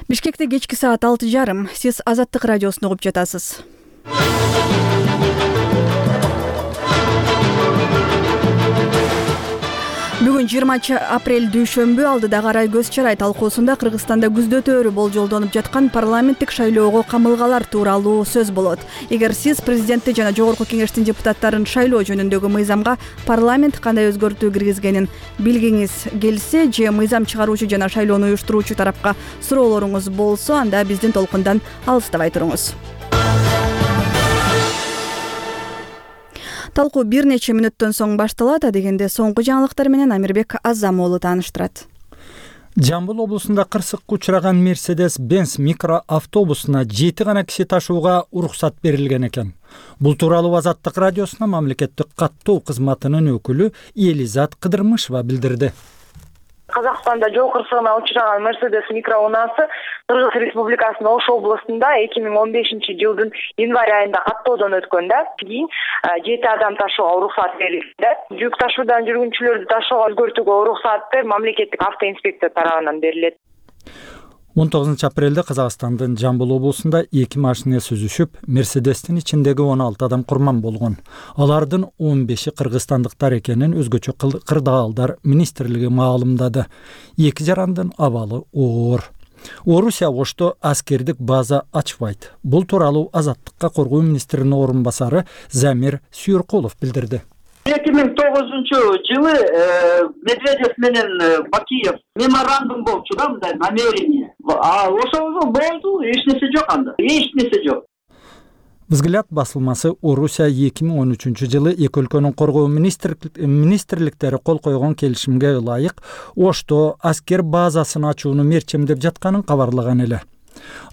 Бишкекте кечки саат 6:30. Сиз Азаттык радиосун угуп жатасыз. Бүгүн 20 апрель дүйшөмбү алдыда карай көз чарай талкуусунда Кыргызстанда күздөтөөрү болжолдонуп жаткан парламенттик шайлоого камылгалар тууралуу сөз болот. Эгер сиз президентти жана жогорку кеңештин депутаттарын шайлоо жөнүндөгү мыйзамга парламент кандай өзгөртүү киргизгенин билгиңиз келсе же мыйзам чыгаруучу жана шайлоону уюштуруучу тарапка суроолоруңуз болсо, анда биздин толкундан алыстабай туруңуз. Талкуу бир нече мүнөттөн соң башталат, дегенде соңку жаңылыктар менен Амирбек Азамоğlu тааныштырат. Жамбыл облусунда кырсыкка учураган Mercedes-Benz микроавтобусуна 7 гана киши ташууга уруксат берилген экен. Бул тууралуу Азаттык радиосуна мамлекеттик каттоо кызматынын өкүлү Элизат Кыдырмышева билдирди. Казакстанда жол кырсыгына учураган Mercedes микроунаасы Кыргыз Республикасынын Ош областында 2015-жылдын январь айында каттоодон өткөндө кийин 7 адам ташууга уруксат берилди. Жүк ташуудан жүргүнчүлөрдү ташууга өзгөртүүгө уруксаты мамлекеттик автоинспекция тарабынан берилет. 19 апрелде Казакстандын Жамбыл облусунда 2 машина сүзүшүп, Мерседестин ичиндеги 16 адам курман болгон. Алардын 15-и кыргызстандыктар экенин өзгөчө кырдаалдар министрлиги маалымдады. 2 жарандын абалы оор. Орусия Ошто аскердик база ачпайт. Бул тууралуу Азаттыкка коргоо министринин орун басары Замир Сүйөркулов билдирди. 2009-жылы Медведев менен Бакиев меморандум болчу да, мындай намерение. Ошол болду, эч нерсе жок анда. Эч нерсе жок. Взгляд басылмасы Орусия 2013-жылы эки өлкөнүн коргоо министрликтери кол койгон келишимге ылайык Ошто аскер базасын ачууну мерчемдеп жатканын кабарлаган эле.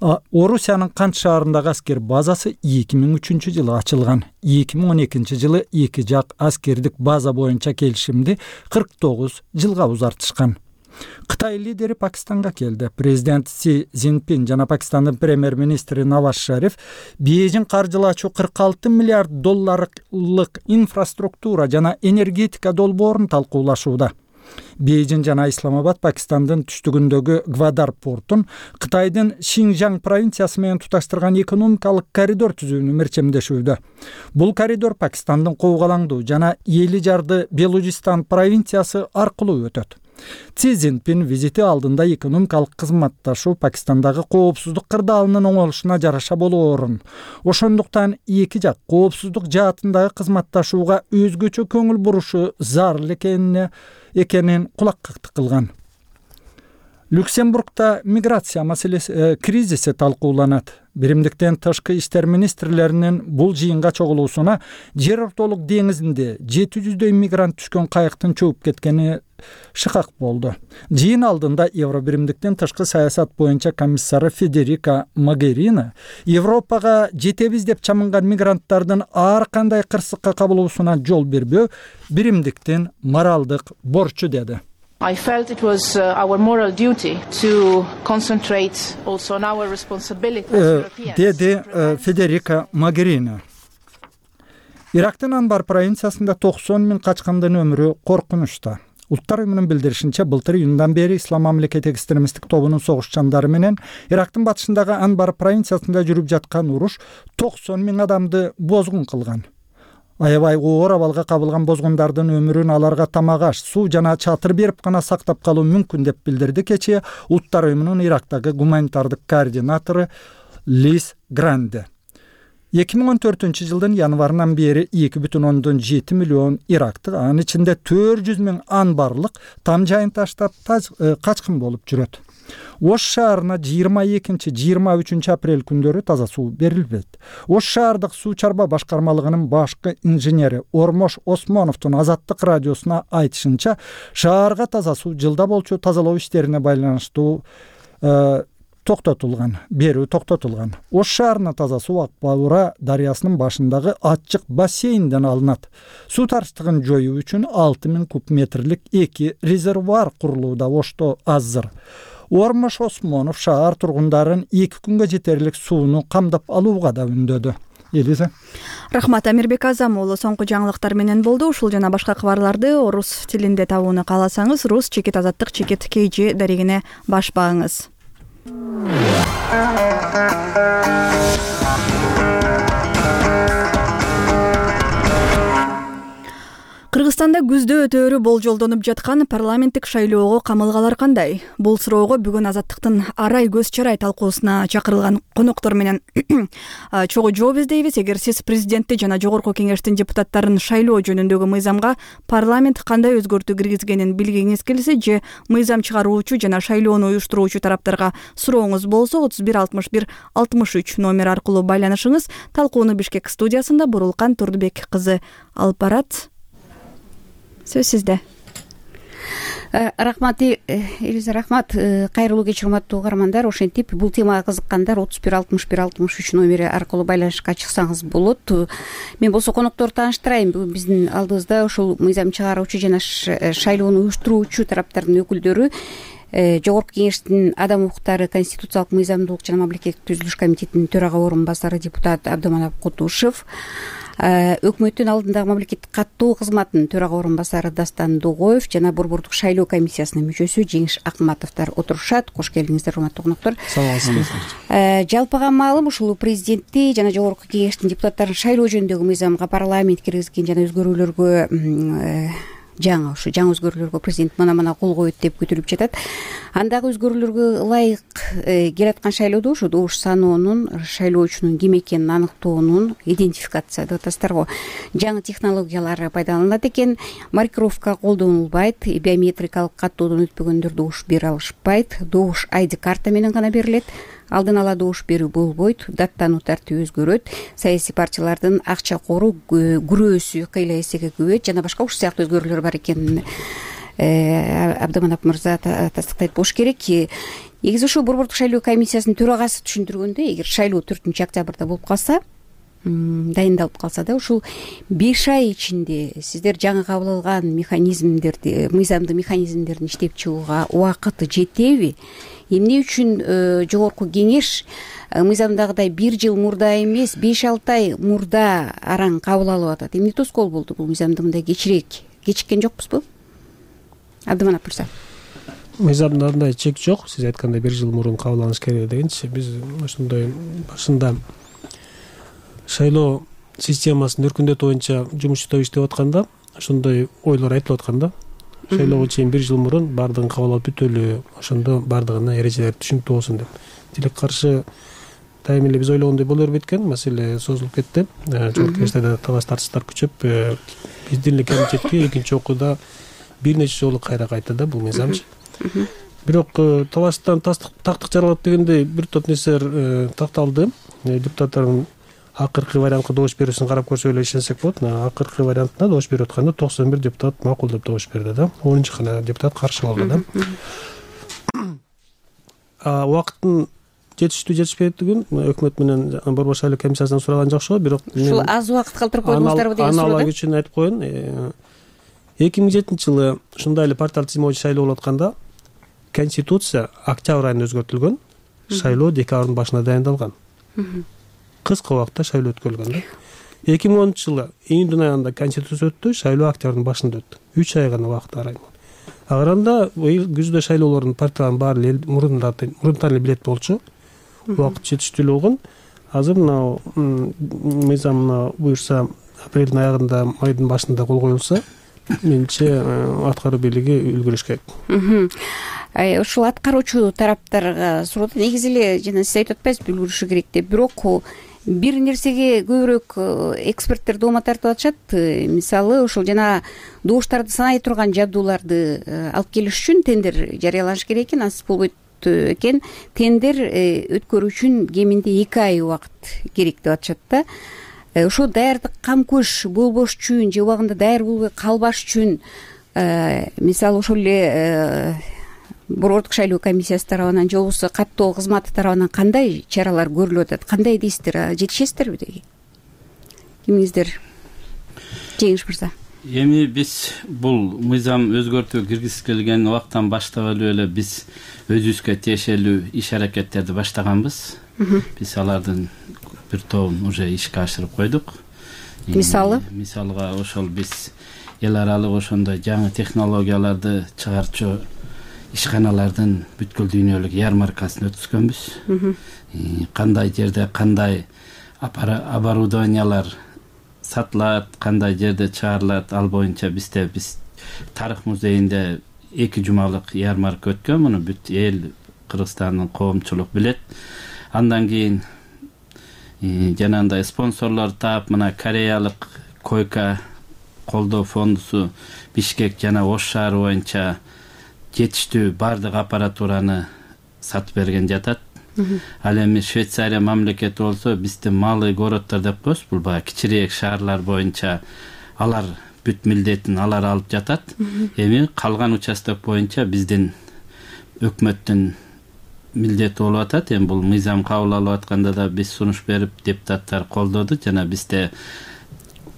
Орусиянын Кант шаарындагы аскер базасы 2003-жылы ачылган. 2012-жылы эки жак аскердик база боюнча келишимди 49 жылга узартышкан. Кытай лидери Пакистанга келди. Президент Си Цзиньпин жана Пакистандын премьер-министри Наваз Шариф Бейжин каржылаачу 46 миллиард долларлык инфраструктура жана энергетика долбоорун талкуулашууда. Бейжин жана Исламабад Пакистандын түштүгүндөгү Гвадар портун Кытайдын Шинжаң провинциясы менен туташтырган экономикалык коридор түзүүнү мерчемдешүүдө. Бул коридор Пакистандын Коогалаңдуу жана Эли жарды Белужистан провинциясы аркылуу өтөт. Си Цзиньпин визити алдында экономикалык кызматташуу Пакистандагы коопсуздук кырдаалынын оңолушуна жараша болоорун, ошондуктан эки жак коопсуздук жаатындагы кызматташууга өзгөчө көңүл бурушу зарыл экенин кулаккактык кылган. Люксембургда миграция маселеси кризиси талкууланат. Биримдиктен тышкы иштер министрлеринин бул жыйынга чогулуусуна жер ортолук деңизинде 700дөй мигрант түшкөн кайыктын чөгүп кеткени шыкак болду. Жыйын алдында Евробиримдиктен тышкы саясат боюнча комиссары Федерика Могерини Европага жетебиз деп чамынган мигранттардын ар кандай кырсыкка кабылуусуна жол бербөө биримдиктин моралдык борчу деди. I felt it was our moral duty to concentrate also on our responsibility as Europeans. Dedi Federica Mogherini. Ирактын Анбар провинциясында 90 миң качкандын өмүрү коркунучта. Улуттар уюмунун билдиришинче, былтыр июндан бери Ислам мамлекети экстремисттик тобунун согушчандары менен Ирактын батышындагы Анбар провинциясында жүрүп жаткан уруш 90 миң адамды бозгун кылган. Аябай оор абалга кабылган бозгундардын өмүрүн аларга тамак аш, суу жана чатыр берип гана сактап калуу мүмкүн деп билдирди кечээ Улуттар уюмунун Ирактагы гуманитардык координатору Лиз Гранде. 2014-жылдын январынан бери 2,7 миллион ирактык, анын ичинде 400 миң анбарлык там жайын таштап качкын болуп жүрөт. Ош шаарына 22-23 апрель күндөрү таза суу берилбейт. Ош шаардык суу чарба башкармалыгынын башкы инженери Ормош Осмоновдун Азаттык радиосуна айтышынча, шаарга таза суу жылда болчу тазалоо иштерине байланыштуу берүү токтотулган. Ош шаарына таза суу Ак-Баура дарыясынын башындагы ачык бассейнден алынат. Суу таштыгын жоюу үчүн 6000 куб метрлик 2 резервуар курулууда. Ошто азыр. Ормош Осмонов шаар тургундарын 2 күнгө жетерлик сууну камдап алууга да үндөдү. Элиза. Рахмат, Амирбек Азамоğlu соңку жаңылыктар менен болду. Ушул жана башка кабарларды орус тилинде табууну кааласаңыз, rus-azattik.kg дарегине баш багыңыз. Кыргызстанда күздө өтөөрү болжолдонуп жаткан парламенттик шайлоого камылгалар кандай? Бул суроого бүгүн Азаттыктын арай көз чарай талкуусуна чакырылган коноктор менен чогуу жооп издейбиз. Эгер сиз президентти жана жогорку кеңештин депутаттарын шайлоо жөнүндөгү мыйзамга парламент кандай өзгөртүү киргизгенин билгиңиз келсе же мыйзам чыгаруучу жана шайлоону уюштуруучу тараптарга сурооңуз болсо 31 61 63 номер аркылуу байланышыңыз. Талкууну Бишкек студиясында Бурулкан Турдубек кызы алып барат. Сөз сизде. Рахмат, Элиза, рахмат. Кайрылуу кеч, урматтуу угармандар. Ошентип бул темага кызыккандар 31 61 63 номери аркылуу байланышка чыксаңыз болот. Мен болсо конокторду тааныштырайын. Бүгүн биздин алдыбызда ошол мыйзам чыгаруучу жана шайлоону уюштуруучу тараптардын өкүлдөрү, Жогорку кеңештин адам укуктары, конституциялык мыйзамдуулук жана мамлекеттик түзүлүш комитетинин төрага орун басары депутат Абдыманап Кутушев, өкмөттүн алдындагы мамлекеттик каттоо кызматынын төрага орун басары Дастан Дугоев жана Борбордук шайлоо комиссиясынын мүчөсү Жеңиш Акматовдор отурушат. Кош келиңиздер, урматтуу коноктор. Жалпыга маалым, ушул президентти жана Жогорку кеңештин депутаттарын шайлоо жөнүндөгү мыйзамга парламент киргизген жана өзгөрүүлөргө жаңы өзгөрүүлөргө президент мына кол коет деп күтүлүп жатат. Андагы өзгөрүүлөргө ылайык келаткан шайлоодо ушу добуш саноонун, шайлоочунун ким экенин аныктоонун, идентификация деп атасыздарго, жаңы технологиялар пайдаланылат экен. Маркировка колдонулбайт, биометрикалык каттоодон өтпөгөндөр добуш бере алышпайт, добуш ID карта менен гана берилет. Алдын ала добуш берүү болбойт, даттануу тартиби өзгөрөт, саясий партиялардын акча кору күрөөсү кыйла эсеге көбөйөт жана башка ушул сыяктуу өзгөрүүлөр бар экенин Абдыманап мырза тастыктайт болуш керек. Негизи ушул Борбордук шайлоо комиссиясынын төрагасы түшүндүргөндөй, эгер шайлоо 4 октябрда болуп калса, дайындалып калса да, ушул 5 ай ичинде сиздер жаңы кабыл алган механизмдерди, мыйзамдуу механизмдердин иштеп чыгууга убакыты жетеби? Эмне үчүн Жогорку кеңеш мыйзамдагыдай 1 жыл мурда эмес, 5-6 ай мурда араң кабыл алып атат? Эмне тоскоол болду бул мыйзамды мындай кечиккен жокпузбу? Абдыманап мырза. Мыйзамда андай чек жок. Сиз айткандай 1 жыл мурун кабыл алыш керек дегенчи, биз ошондой башында шайлоо системасын өркүндөтүү боюнча жумуш иштеп атканда ошондой ойлор айтылып атканда, шайлоого чейин 1 жыл мурун баардыгын кабыл алып бүтөлү, ошондо баардыгына эрежелер түшүнүктүү болсун деп. Тилек каршы дайым эле биз ойлогондой боло бербейт экен, маселе созулуп кетти. Жогорку кеңеште талаш тартыштар күчөп, биздин эле комитетке экинчи окууда бир нече жолу кайра кайтты бул мыйзамчы. Бирок талаштан тактык жаралат дегендей бир топ нерселер такталды. Депутаттардын акыркы вариантка добуш берүүсүн карап көрсөк эле ишенсек болот. Акыркы вариантына добуш берип атканда 91 депутат макулдап добуш берди да. 10-чу гана депутат каршы болду да. Убакыттын жетишпейтигин өкмөт менен Борбор шайлоо комиссиясынан сураган жакшы, бирок ушул аз убакыт калтырып койдуңуздарбы деген суроо. Аны ала үчүн айтып коеюн. 2007-жылы ушундай эле партиялык тизимге шайлоо болуп атканда Конституция октябрь айында өзгөртүлгөн, шайлоо декабрдын башында дайындалган. Кыска убакытта шайлоо өткөрүлгөн да. 2010-жылы июнь айында Конституция өттү, шайлоо октябрдын башында өттү. 3 ай гана убакыт арай. Агранда күздө шайлоолордун партиялардын баары мурунтан эле билет болчу. Убакыт жетиштүү эле болгон. Азыр мына мыйзам буюрса апрелдин аягында, майдын башында кол коюлса, менимче аткаруу бийлиги үлгүрүш керек. Ушул аткаруучу тараптарга суроо, негизи эле жана сиз айтып атпайсызбы үлгүрүшү керек деп, бирок бир нерсеге көбүрөөк эксперттер доoma тартып атышат. Мисалы, ошол жана добуштарды санай турган жабдууларды алып келиш үчүн тендер жарыяланыш керек экен, ансыз болбойт экен. Тендер өткөрүү үчүн кеминде 2 ай убакыт керек деп атышат да. Ошо даярдык кам көш болбош үчүн же убагында даяр болбой калбаш үчүн мисалы ошол эле Борбордук шайлоо комиссиясы тарабынан же болбосо каттоо кызматы тарабынан кандай чаралар көрүлүп атат? Кандай дейсиздер? Жетишесиздерби деги? Кимиңиздер? Жеңиш мырза. Эми биз бул мыйзам өзгөртүү киргизилген убактан баштап эле биз өзүбүзгө тиешелүү иш аракеттерди баштаганбыз. Биз алардын бир тобун уже ишке ашырып койдук. Мисалга ошол биз эл аралык ошондой жаңы технологияларды чыгарчу ишканалардын бүткүл дүйнөлүк ярмаркасын өткүзгөнбүз. Кандай жерде кандай оборудованиялар сатылат, кандай жерде чыгарылат, ал боюнча биз тарых музейинде 2 жумалык ярмарка өткөн. Муну бүт эл, Кыргызстандын коомчулук билет. Андан кийин жанагындай спонсорлор таап, мына Кореялык койка колдоо фондусу Бишкек жана Ош шаары боюнча жетиштүү бардык аппаратураны сатып берген жатат. Ал эми Швейцария мамлекети болсо биздин малый городдор деп коебуз. Бул баягы кичирээк шаарлар боюнча алар бүт милдетин алар алып жатат. Эми калган участок боюнча биздин өкмөттүн милдети болуп атат. Эми бул мыйзам кабыл алып атканда да биз сунуш берип, депутаттар колдоду. Жана бизде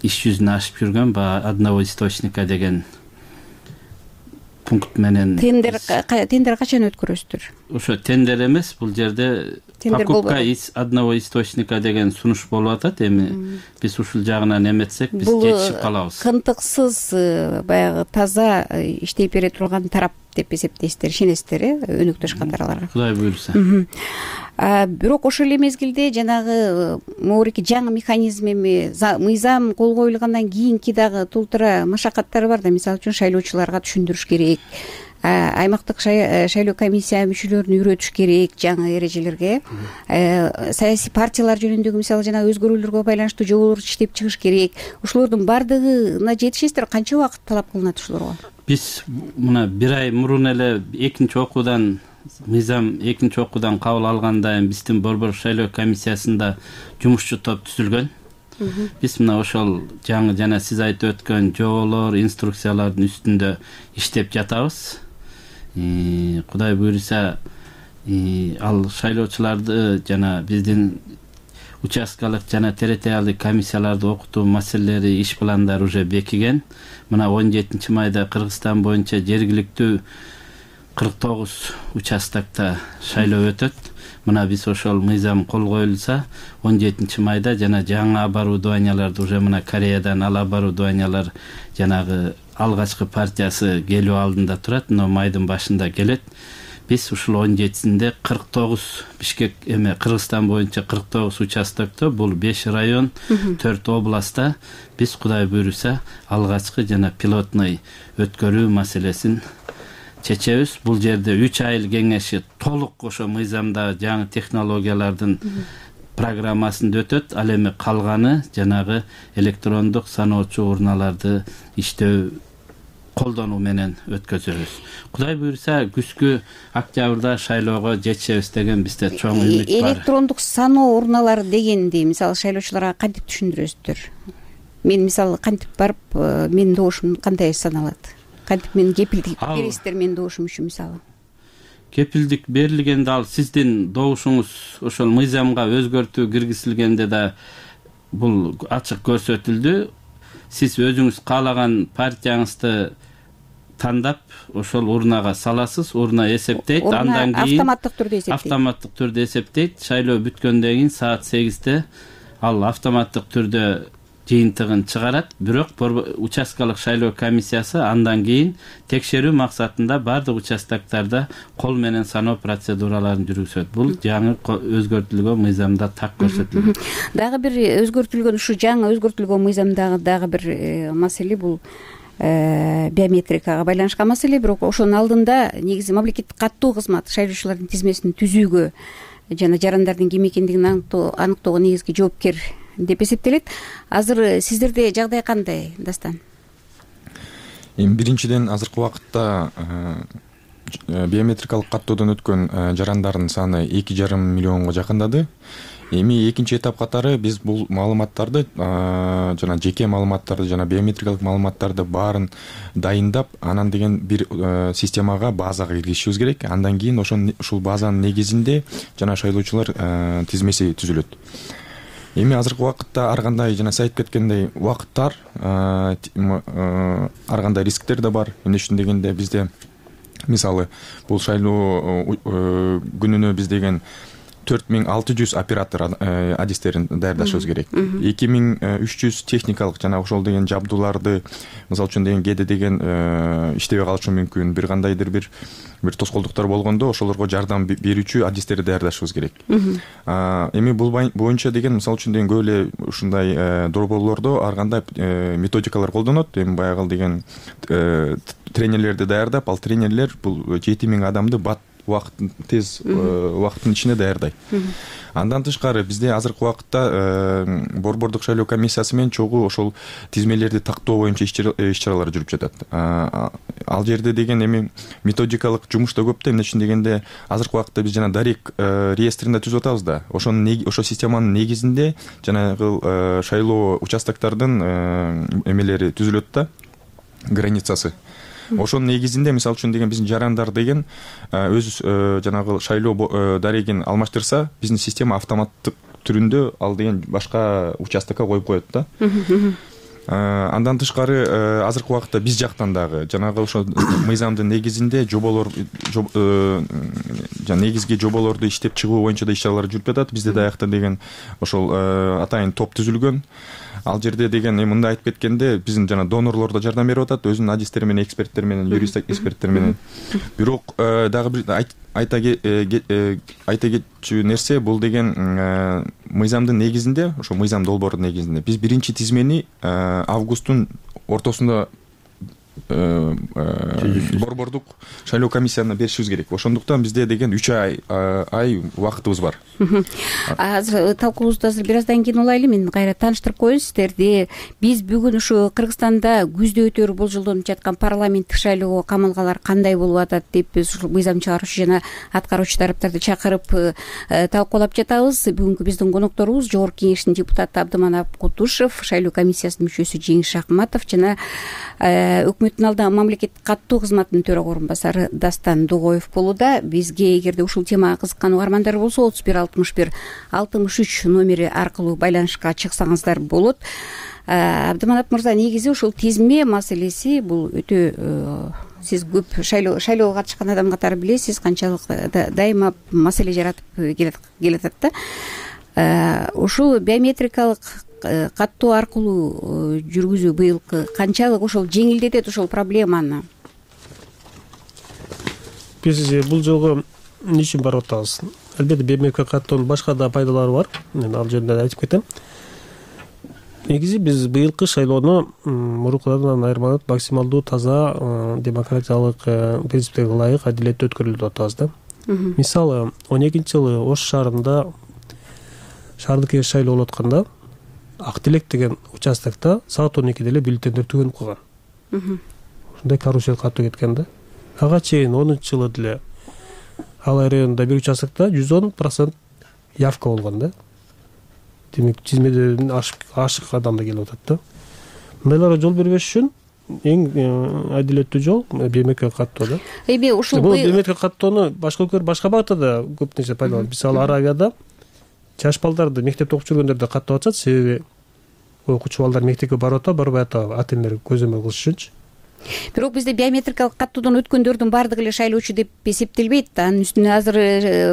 иш жүзүнө ашып жүргөн баягы одного источника деген пункт менен тендер качан өткөрөсүздөр? Ошо тендер эмес, бул жерде покупка из одного источника деген сунуш болуп атат. Эми биз ушул жагынан эметсек, биз жетишип калабыз. Бул кынтыксыз, баягы таза иштей бере турган тарап деп эсептейсиздер, ишенесиздер, өнөктөш катарларга? Кудай буйруса. Бирок ошол эле мезгилде жанагы могуреки жаңы механизм эми мыйзам кол коюлгандан кийинки дагы тултура машакаттары бар да. Мисалы үчүн шайлоочуларга түшүндүрүш керек, аймактык шайлоо комиссия мүчөлөрүн үйрөтүш керек жаңы эрежелерге, саясий партиялар жөнүндөгү мисалы жана өзгөрүүлөргө байланыштуу жоболорду иштеп чыгыш керек. Ошолордун бардыгына жетишесиздер? Канча убакыт талап кылынат ушуларга? Биз мына 1 ай мурун эле мыйзам экинчи окуудан кабыл алганда биздин борбор шайлоо комиссиясында жумушчу топ түзүлгөн. Биз мына ошол жаңы жана сиз айтып өткөн жоболор, инструкциялардын үстүндө иштеп жатабыз. Кудай буйруса, ал шайлоочуларды жана биздин участкалык жана территориалдык комиссияларды окутуу маселелери, иш пландары уже бекиген. Мына 17 майда Кыргызстан боюнча жергиликтүү 49 участокто шайлоо өтөт. Мына биз ошол мыйзам кол коюлса 17 майда жана жаңы оборудованияларды уже мына Кореядан ал оборудованиялар жанагы алгачкы партиясы келүү алдында турат, но майдын башында келет. Биз ушул 17-синде 49 Бишкек Кыргызстан боюнча 49 участокто, бул 5 район, 4 областта биз Кудай буйруса алгачкы жана пилотный өткөрүү маселесин чечебиз. Бул жерде 3 айыл кеңеши толук ошо мыйзамда жаңы технологиялардын программасында өтөт. Ал эми калганы жанагы электрондук саноочу урналарды иштөө колдонуу менен өткөзөбүз. Кудай буйруса күзгү октябрда шайлоого жетишебиз деген бизде чоң үмүт бар. Электрондук саноо урналары дегенди мисалы шайлоочуларга кантип түшүндүрөсүздөр? Мен мисалы кантип барып, менин добушум кандай саналат? Кантип мен кепилдик бересиздер менин добушум үчүн мисалы? Кепилдик берилгенде ал сиздин добушуңуз ошол мыйзамга өзгөртүү киргизилгенде да бул ачык көрсөтүлдү. Сиз өзүңүз каалаган партияңызды тандап ошол урнага саласыз, урна эсептейт, андан кийин автоматтык түрдө эсептейт. Шайлоо бүткөндөн кийин саат 8-те ал автоматтык түрдө жыйынтыгын чыгарат. Бирок участкалык шайлоо комиссиясы андан кийин текшерүү максатында бардык участоктарда кол менен саноо процедураларын жүргүзөт. Бул жаңы өзгөртүлгөн мыйзамда так көрсөтүлгөн. Дагы бир өзгөртүлгөн, ушу жаңы өзгөртүлгөн мыйзамдагы дагы бир маселе бул биометрикага байланышкан маселе. Бирок ошонун алдында негизи мамлекеттик каттуу кызмат шайлоочулардын тизмесин түзүүгө жана жарандардын ким экендигин аныктоого негизги жоопкер деп эсептелет. Азыр сиздерде жагдай кандай, Дастан? Биринчиден азыркы убакытта биометрикалык каттоодон өткөн жарандардын саны 2,5 миллионго жакындады. Эми экинчи этап катары биз бул маалыматтарды жана жеке маалыматтарды жана биометрикалык маалыматтарды баарын дайындап, анан деген бир системага, базага киргизишибиз керек. Андан кийин ушул базанын негизинде жана шайлоочулар тизмеси түзүлөт. Эми азыркы убакытта ар кандай жана сиз айтып кеткендей убакыттар, ар кандай рисктер да бар. Эмне үчүн дегенде бизде мисалы бул шайлоо күнүнө биз деген 4600 оператор адистерин даярдашыбыз керек. 2300 техникалык жана ошол деген жабдууларды, мисалы үчүн деген кээде деген иштебей калышы мүмкүн, бир кандайдыр бир тоскоолдуктар болгондо ошолорго жардам берүүчү адистерди даярдашыбыз керек. Эми бул боюнча деген мисалы үчүн деген көп эле ушундай долбоорлордо ар кандай методикалар колдонот. Эми баягы деген тренерлерди даярдап, ал тренерлер бул 7000 адамды тез убакыттын ичинде даярдайт. Андан тышкары бизде азыркы убакытта борбордук шайлоо комиссиясы менен чогуу ошол тизмелерди тактоо боюнча иш-чаралар жүрүп жатат. Ал жерде деген эми методикалык жумуш да көп да, эмне үчүн дегенде азыркы убакытта биз жана Дарик реестрин да түзүп атабыз да. Ошол системанын негизинде жанагы шайлоо участоктордун эмелери түзүлөт да, границасы. Ошонун негизинде мисалы үчүн деген биздин жарандар деген өз жанагы шайлоо дарегин алмаштырса, биздин система автоматтык түрүндө ал деген башка участокко коюп коет да. Андан тышкары азыркы убакытта биз жактан дагы жанагы ошо мыйзамдын негизинде негизги жоболорду иштеп чыгуу боюнча да иш-чаралар жүрүп жатат. Бизде даяктан деген ошол атайын топ түзүлгөн. Ал жерде деген мындай айтып кеткенде биздин жана донорлор да жардам берип атат, өзүнүн адистери менен, эксперттер менен, юрист эксперттер менен. Бирок дагы бир айта кетчү нерсе бул деген мыйзамдын негизинде, ошо мыйзам долбоордун негизинде биз биринчи тизмени августтун ортосунда борбордук шайлоо комиссиясына беришибиз керек. Ошондуктан бизде деген 3 ай убакытыбыз бар. Азыр талкуубузду бир аздан кийин улайлы. Мен кайра тааныштырып коеюн сиздерди. Биз бүгүн ушу Кыргызстанда күздө өтөөрү болжолдонуп жаткан парламенттик шайлоого камалгалар кандай болуп атат деп биз ушул мыйзам чыгаруучу жана аткаруучу тараптарды чакырып талкуулап жатабыз. Бүгүнкү биздин конокторубуз Жогорку Кеңештин депутаты Абдыманап Кутушев, шайлоо комиссиясынын мүчөсү Жеңиш Акматов жана өкмөттүн алдагы мамлекеттик каттоо кызматынын төрага орунбасары Дастан Дугоев болууда. Бизге эгерде ушул темага кызыккан угармандар болсо 31-61-63 номери аркылуу байланышка чыксаңыздар болот. Абдыманап мырза, негизи ушул тизме маселеси бул өтө сиз көп шайлоого катышкан адам катары билесиз, канчалык дайыма маселе жаратып келатат да. Ушул биометрикалык каттоо аркылуу жүргүзүү быйылкы канчалык ошол жеңилдетет ошол проблеманы? Биз бул жолу эмне үчүн барып атабыз? Албетте биометрикалык каттоонун башка да пайдалары бар. Мен ал жөнүндө айтып кетем. Негизи биз быйылкы шайлоону мурункудан айырмаланып максималдуу таза, демократиялык принциптерге ылайык, адилеттүү өткөрүлдү деп атабыз да. Мисалы 12-жылы Ош шаарында шаардык кеңеш шайлоо болуп атканда Ак Телек деген участокто саат 12-де эле бюллетендер түгөнүп калган. Ушундай карусел катуу кеткен да. Ага чейин 10-жылы деле Алай районунда бир участокто 110% явка болгон да. Демек тизмеден ашык адам да келип атат да. Мындайларга жол бербеш үчүн эң адилеттүү жол биометрикалык каттоо да. Эми ушул бул биометрикалык каттоону башка өлкөлөр башка багытта көп нерсе пайдаланат. Мисалы Аравияда жаш балдарды мектепте окуп жүргөндөрдү каттап атышат, себеби окуучу балдар мектепке барып атат, барбай атат, ата-энелер көзөмөл кылыш үчүнчү. Бирок бизде биометрикалык каттоодон өткөндөрдүн баардыгы эле шайлоочу деп эсептелбейт. Анын үстүнө азыр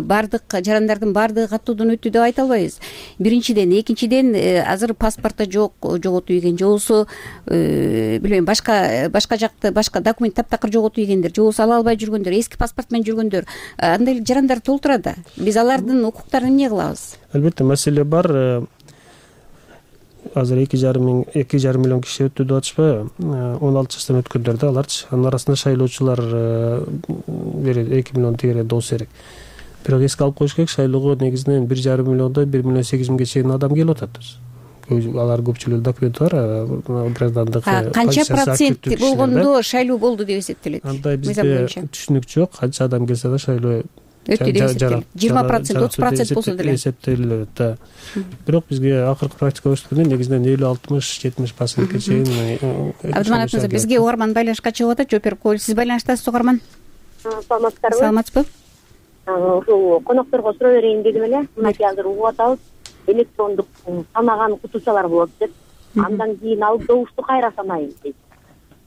баардык жарандардын баардыгы каттоодон өттү деп айта албайбыз. Биринчиден, экинчиден азыр паспорто жок, жоготуп ийген, же болбосо билбейм, башка жакта башка документ таптакыр жоготуп ийгендер, же болбосо ала албай жүргөндөр, эски паспорт менен жүргөндөр, андай эле жарандар толтура да. Биз алардын укуктарын эмне кылабыз? Албетте маселе бар. Азыр 2,5 миллион киши өттү деп атышпайбы? 16 жаштан өткөндөр да аларчы. Анын арасында шайлоочулар 2 миллион тегере болсо керек. Бирок эске алып коюш керек, шайлоого негизинен 1,5 миллиондон 1,8 миллионга чейин адам келип атат. Алар көпчүлүгү документи бар, граждандык. Канча процент болгондо шайлоо болду деп эсептелет? Андай бизде түшүнүк жок. Канча адам келсе да шайлоо өттү деп эсептелет. 20%, 30% болсо деле эсептелет да. Бирок бизге акыркы практика көрсөткөндөй негизинен 50-60-70%га чейин. Абдыманап мырза, бизге угарман байланышка чыгып атат, жооп берип коелу. Сиз байланыштасыз угарман? Саламатсыздарбы? Саламатсызбы? Ушул конокторго суроо берейин дедим эле. Мынакей азыр угуп атабыз. Электрондук санаган кутучалар болот деп. Андан кийин алдоушту кайра санайын дейт.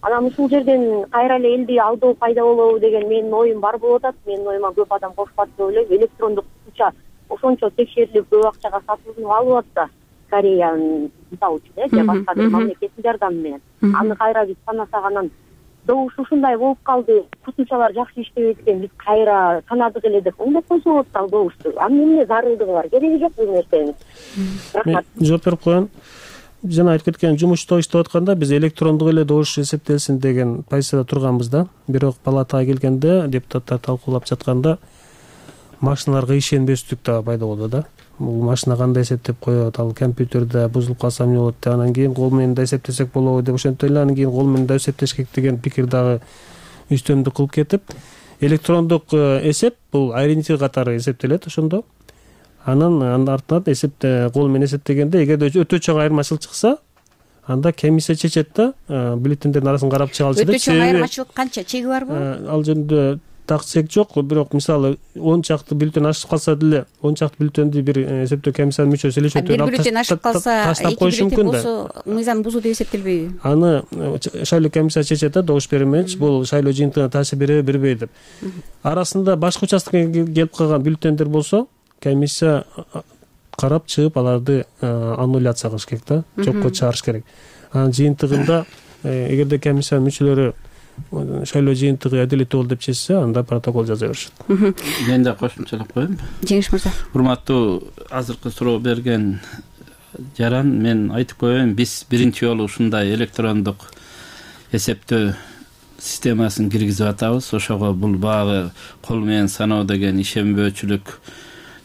Анан ушул жерден кайра эле элди алдоо пайда болобу деген менин оюм бар болуп атат. Менин оюма көп адам кошпат деп ойлойм. Электрондук кутуча ошончо текшерилип көп акчага сатылып алып атса Кореянын мисалы үчүн же башка бир мамлекеттин жардамы менен аны кайра биз санасак, анан добуш ушундай болуп калды, косумчалар жакшы иштебейт экен, биз кайра санадык эле деп оңдоп койсо болот ал добушту. Анын эмне зарылдыгы бар, кереги жок бул нерсенин. Рахмат. Жооп берип коеюн. Жана айтып кеткен жумушта иштеп атканда биз электрондук эле добуш эсептелсин деген позицияда турганбыз да. Бирок палатага келгенде депутаттар талкуулап жатканда машиналарга ишенбестик да пайда болду да. Бул машина кандай эсептеп коет, ал компьютерде бузулуп калса эмне болот деп, анан кийин кол менен да эсептесек болобу деп, ошентип эле анан кийин кол менен да эсептеш керек деген пикир дагы үстөмдүк кылып кетип, электрондук эсеп бул ориентир катары эсептелет ошондо. Анын артынан эсепте кол менен эсептегенде эгерде өтө чоң айырмачылык чыкса, анда комиссия чечет да, бюллетендердин арасын карап чыгалчы деп. Өтө чоң айырмачылык канча, чеги барбы? Ал жөнүндө так чек жок, бирок мисалы 10 чакты бюллетен ашып калса деле 10 чакты бюллетенди бир эсептөө комиссиянын мүчөсү эле бир бюллетен ашып калса, таштап коюшу мүмкүн да. Болсо мыйзам бузуу деп эсептелбейби? Аны шайлоо комиссиясы чечет да, добуш бермекчи, бул шайлоо жыйынтыгына таасир береби, бербейби деп. Арасында башка участкага келип калган бюллетендер болсо, комиссия карап чыгып аларды аннуляция кылыш керек да, жокко чыгарыш керек. Анын жыйынтыгында эгерде комиссиянын мүчөлөрү шайлоо жыйынтыгы адилеттүү болду деп чечсе, анда протокол жаза беришет. Мен да кошумчалап коеюн. Жеңиш мырза. Урматтуу азыркы суроо берген жаран, мен айтып коеюн, биз биринчи жолу ушундай электрондук эсептөө системасын киргизип атабыз. Ошого бул багы кол менен саноо деген ишенбөөчүлүк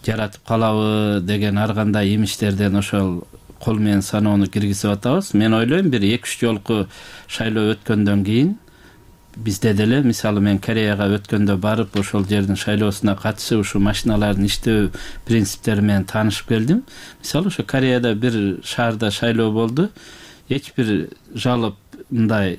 жаратып калабы деген ар кандай имиштерден ошол кол менен саноону киргизип атабыз. Мен ойлойм, бир 2-3 жолку шайлоо өткөндөн кийин бизде деле, мисалы мен Кореяга өткөндө барып, ошол жердин шайлоосуна катышып, ушу машиналардын иштөө принциптери менен таанышып келдим. Мисалы ошо Кореяда бир шаарда шайлоо болду. Эч бир жалоп мындай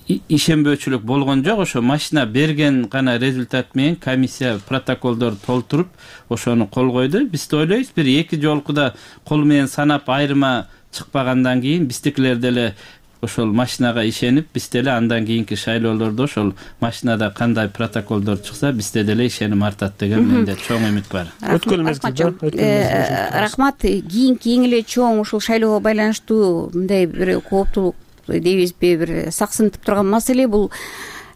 ишенбөөчүлүк болгон жок. Ошо машина берген гана результат менен комиссия протоколдорду толтуруп, ошону кол койду. Биз да ойлойбуз, бир 2 жолкуда кол менен санап айырма чыкпагандан кийин биздикилер деле ошол машинага ишенип, биз деле андан кийинки шайлоолордо ошол машинада кандай протоколдор чыкса, бизде деле ишеним артат деген менде чоң үмүт бар. Өткөн мезгилде. Рахмат. Кийинки эң эле чоң ушул шайлоого байланыштуу мындай бир кооптулук дейбизби, бир саксынтып турган маселе бул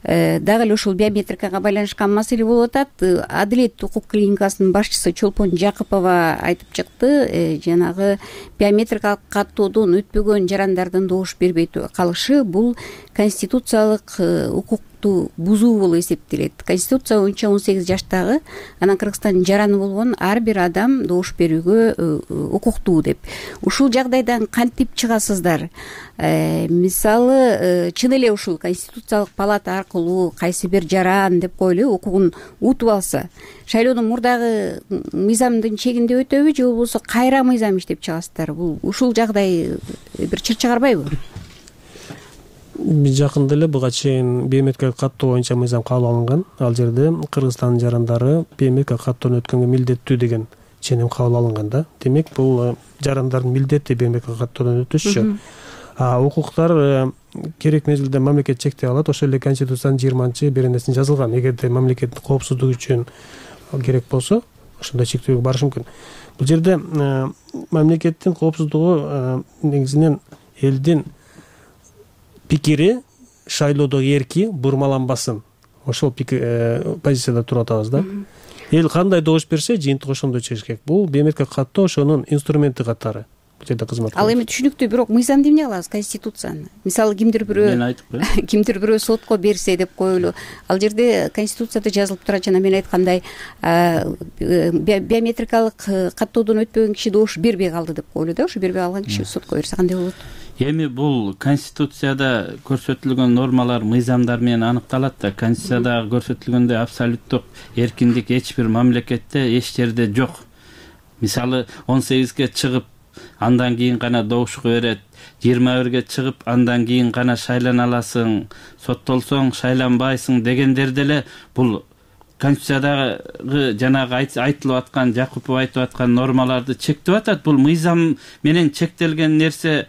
дагы эле ушул биометрикага байланышкан маселе болуп атат. Адилет укук клиникасынын башчысы Чолпон Жакыпова айтып чыкты, жанагы биометрикалык каттоодон өтпөгөн жарандардын добуш бербей калышы бул конституциялык укукту бузуу болуп эсептелет. Конституция боюнча 18 жаштагы, анан Кыргызстандын жараны болгон ар бир адам добуш берүүгө укуктуу деп. Ушул жагдайдан кантип чыгасыздар? Мисалы, чын эле ушул конституциялык палата аркылуу кайсы бир жаран деп коелу укугун утуп алса, шайлоонун мурдагы мыйзамдын чегинде өтөбү же болбосо кайра мыйзам иштеп чыгасыздар? Бул ушул жагдай бир чыр чыгарбайбы? Жакында эле буга чейин биометрикалык каттоо боюнча мыйзам кабыл алынган. Ал жерде Кыргызстандын жарандары биометрикалык каттоону өткөнгө милдеттүү деген ченем кабыл алынган да. Демек, бул жарандардын милдети биометрикалык каттоодон өтүшчү. Укуктар керек мезгилде мамлекет чектей алат. Ошол эле Конституциянын 20-беренесинде жазылган. Эгерде мамлекеттин коопсуздугу үчүн керек болсо, ошондой чектөөгө барыш мүмкүн. Бул жерде мамлекеттин коопсуздугу негизинен элдин пикири шайлоодо эрки бурмаланбасын. Ошол позицияда туруп атабыз да. Эл кандай добуш берсе, жыйынтык ошондой чыгыш керек. Бул биометрикалык каттоо ошонун инструменти катары. Бул жерде кызмат кылат. Ал эми түшүнүктүү, бирок мыйзамды эмне кылабыз, конституцияны? Мисалы кимдир бирөө сотко берсе деп коелу. Ал жерде конституцияда жазылып турат, жана мен айткандай биометрикалык каттоодон өтпөгөн киши добуш бербей калды деп коелу да. Ошо бербей калган киши сотко берсе кандай болот? Эми бул Конституцияда көрсөтүлгөн нормалар, мыйзамдар менен аныкталат да. Конституцияда көрсөтүлгөндөй абсолюттук эркиндик эч бир мамлекетте эч жерде жок. Мисалы 18ге чыгып, андан кийин гана добушку берет. 21ге чыгып, андан кийин гана шайлана аласың, соттолсоң шайланбайсың дегендер деле бул Конституциядагы жанагы айтылып аткан, Жакупов айтып аткан нормаларды чектеп атат. Бул мыйзам менен чектелген нерсе.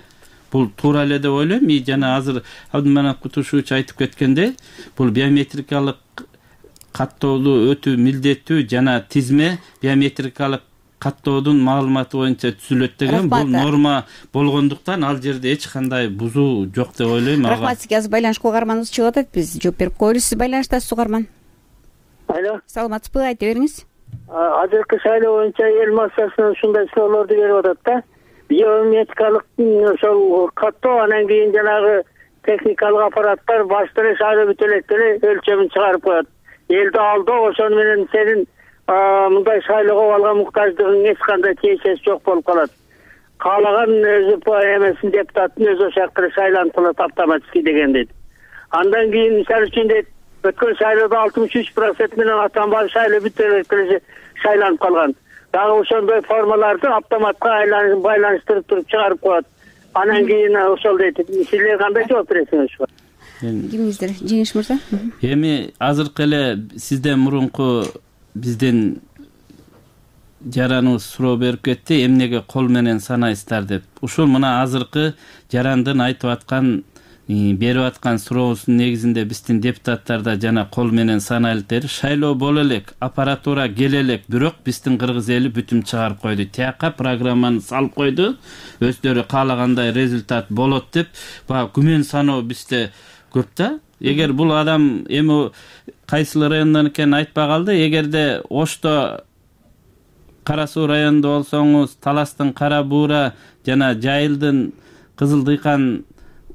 Бул туура эле деп ойлойм. Жана азыр Абдыманат Кутушевич айтып кеткендей, бул биометрикалык каттоолуу өтүү милдеттүү жана тизме биометрикалык каттоодун маалыматы боюнча түзүлөт деген бул норма болгондуктан ал жерде эч кандай бузуу жок деп ойлойм. Рахмат сизге. Азыр байланышка угарманыбыз чыгып атат, биз жооп берип коелу. Сиз байланыштасыз угарман. Алло, саламатсызбы, айта бериңиз. азыркы шайлоо боюнча эл массасына ушундай суроолорду берип атат да. Биометрикалык ошол каттоо, анан кийин жанагы техникалык аппараттар башта эле шайлоо бүтө элек деле өлчөмүн чыгарып коет. Элди алдоо, ошону менен сенин мындай шайлоого алган муктаждыгың эч кандай тиешеси жок болуп калат. Каалаган өзү эмесин депутаттын өзү ошол жакка шайланып калат автоматически деген дейт. Андан кийин мисалы үчүн дейт, өткөн шайлоодо 63% менен атанбай шайлоо бүтө элек деле шайланып калган. Дагы ошондой формаларды автоматка байланыштырып туруп чыгарып коет. Анан кийин ошол дейт. Силер кандай жооп бересиңер ушуга? Кимиңиздер, Жеңиш мырза? Эми азыркы эле сизден мурунку биздин жараныбыз суроо берип кетти, эмнеге кол менен санайсыздар деп. Ушул мына азыркы жарандын айтып аткан, берип аткан суроосунун негизинде биздин депутаттар да жана кол менен санайлы шайлоо боло элек, аппаратура келе элек, бирок биздин кыргыз эли бүтүм чыгарып койду. Тияка программаны салып койду. Өздөрү каалагандай результат болот деп, баягы күмөн саноо бизде көп да. Эгер бул адам эми кайсыл райондон экенин айтпай калды, эгерде Ошто Кара Суу районунда болсоңуз, Таластын Кара Буура жана Жайылдын Кызыл Дыйкан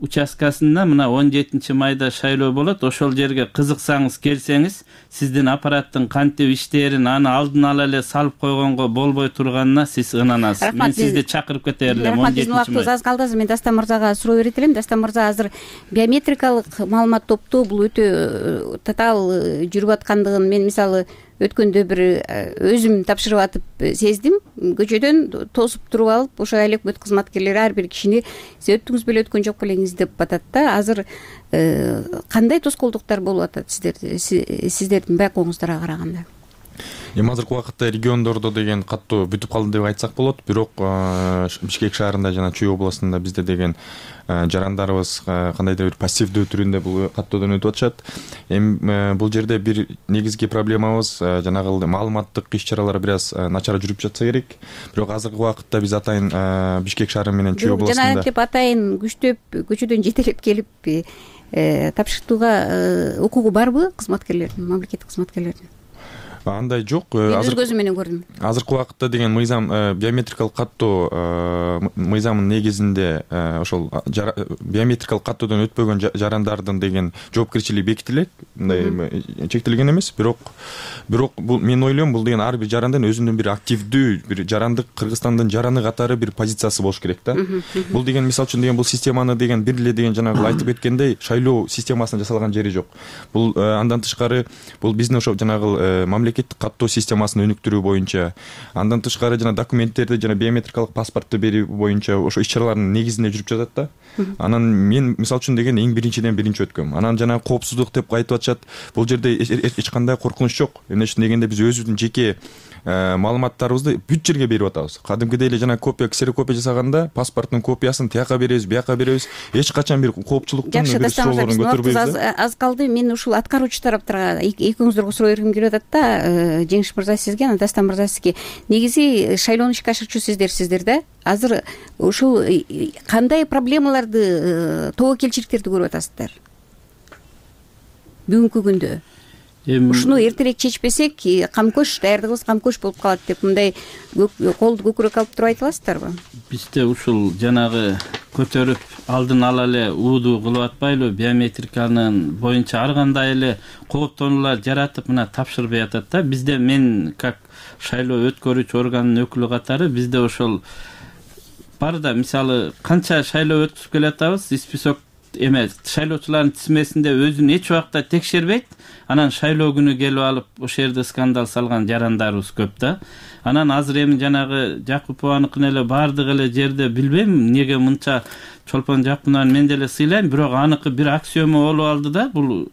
участкасында мына 17 майда шайлоо болот. Ошол жерге кызыксаңыз келсеңиз, сиздин аппараттын кантип иштээрин аны алдын ала эле салып койгонго болбой турганына сиз ынанасыз. Мен сизди чакырып кете элем. Рахмат, биздин убактыбыз аз калды. Мен Дастан мырзага суроо берет элем. Дастан мырза, азыр биометрикалык маалымат топтоо бул өтө татаал жүрүп аткандыгын мен мисалы өткөндө бир өзүм тапшырып атып сездим. Көчөдөн тосуп туруп алып, ошо электр кызматкерлери ар бир кишини сиз өттүңүз беле өткөн жок белеңиз деп атат да. Азыр кандай тоскоолдуктар болуп атат сиздердин байкооңуздарга караганда? Эми азыркы убакытта региондордо деген каттоо бүтүп калды деп айтсак болот. Бирок Бишкек шаарында жана Чүй областында бизде деген жарандарыбыз кандайдыр бир пассивдүү түрүндө бул каттоодон өтүп атышат. Эми бул жерде бир негизги проблемабыз жанагы маалыматтык иш-чаралар бир аз начар жүрүп жатса керек. Бирок азыркы убакытта биз атайын Бишкек шаары менен Чүй областында жана деп атайын күчтөп көчөдөн жетелеп келип тапшыртууга укугу барбы кызматкерлердин, мамлекеттик кызматкерлердин? Андай жок. Өз көзүм менен көрдүм. Азыркы убакытта деген мыйзам биометрикалык каттоо мыйзамынын негизинде ошол биометрикалык каттоодон өтпөгөн жарандардын деген жоопкерчилиги бекитилет. Мындай чектелген эмес, бирок бул мен ойлойм, бул деген ар бир жарандын өзүнүн бир активдүү, бир жарандык Кыргызстандын жараны катары бир позициясы болуш керек да. Бул деген мисалы үчүн деген бул системаны деген бир эле деген жанагы айтып кеткендей шайлоо системасына жасалган жери жок. Бул андан тышкары бул биздин ошо жанагы мамлекеттик каттоо системасын өнүктүрүү боюнча, андан тышкары жана документтерди жана биометрикалык паспортту берүү боюнча ошо иш-чаралардын негизинде жүрүп жатат да. Анан мен мисалы үчүн деген эң биринчиден биринчи өткөм. Анан жана коопсуздук деп айтып атышат. Бул жерде эч кандай коркунуч жок. Эмне үчүн дегенде биз өзүбүздүн жеке маалыматтарыбызды бүт жерге берип атабыз. Кадимкидей эле жана копия, ксерокопия жасаганда паспорттун копиясын тияка беребиз, бияка беребиз. Эч качан бир коопчулуктун бир суроолорун көтөрбөйбүз. Аз калды. Мен ушул аткаруучу тараптарга экөөңүздөргө суроо бергим келип атат да. Жеңиш мырза сизге, анан Дастан мырза сизге. Негизи шайлоону ишке ашырчу сиздер да. Азыр ушул кандай проблемаларды, тобокелчиликтерди көрүп атасыздар бүгүнкү күндө? Ушуну эртерээк чечпесек, камкөш, даярдыгыбыз камкөш болуп калат деп мындай колду көкүрөк алып туруп айта аласыздарбы? Бизде ушул жанагы көтөрүп алдын ала эле ууду кылып атпайлы, биометриканын боюнча ар кандай эле кооптонуулар жаратып мына тапшырбай атат да. Бизде мен как шайлоо өткөрүүчү органдын өкүлү катары бизде ошол бар да, мисалы канча шайлоо өткүзүп келатабыз, список шайлоочулардын тизмесинде өзүн эч убакта текшербейт. Анан шайлоо күнү келип алып ошол жерде скандал салган жарандарыбыз көп да. Анан азыр эми жанагы Жакупованыкын эле баардык эле жерде билбейм эмнеге мынча Чолпон Жакупованы мен деле сыйлайм, бирок аныкы бир аксиома болуп алды да. Бул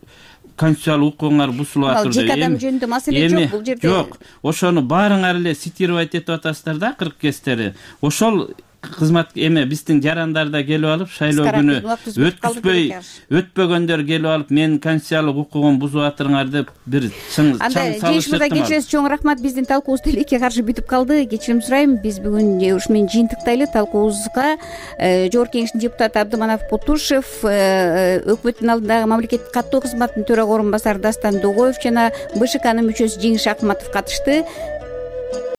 конституциялык укугуңар бузулуп атыр деп. Жеке адам жөнүндө маселе жок бул жерде. Жок. Ошону баарыңар эле цитировать этип атасыздар да, кырк кестери. Ошол кызмат эме биздин жарандар да келип алып шайлоо күнү өтпөгөндөр келип алып менин конституциялык укугумду бузуп атырыңар деп бир чаң жеңиш мырза кечиресиз, чоң рахмат. Биздин талкуубуз тилекке каршы бүтүп калды. Кечирим сурайм. Биз бүгүн ушу менен жыйынтыктайлы. Талкуубузга Жогорку Кеңештин депутаты Абдыманап Кутушев, өкмөттүн алдындагы мамлекеттик каттоо кызматынын төрага орун басары Дастан Догоев жана БШКнын мүчөсү Жеңиш Акматов катышты.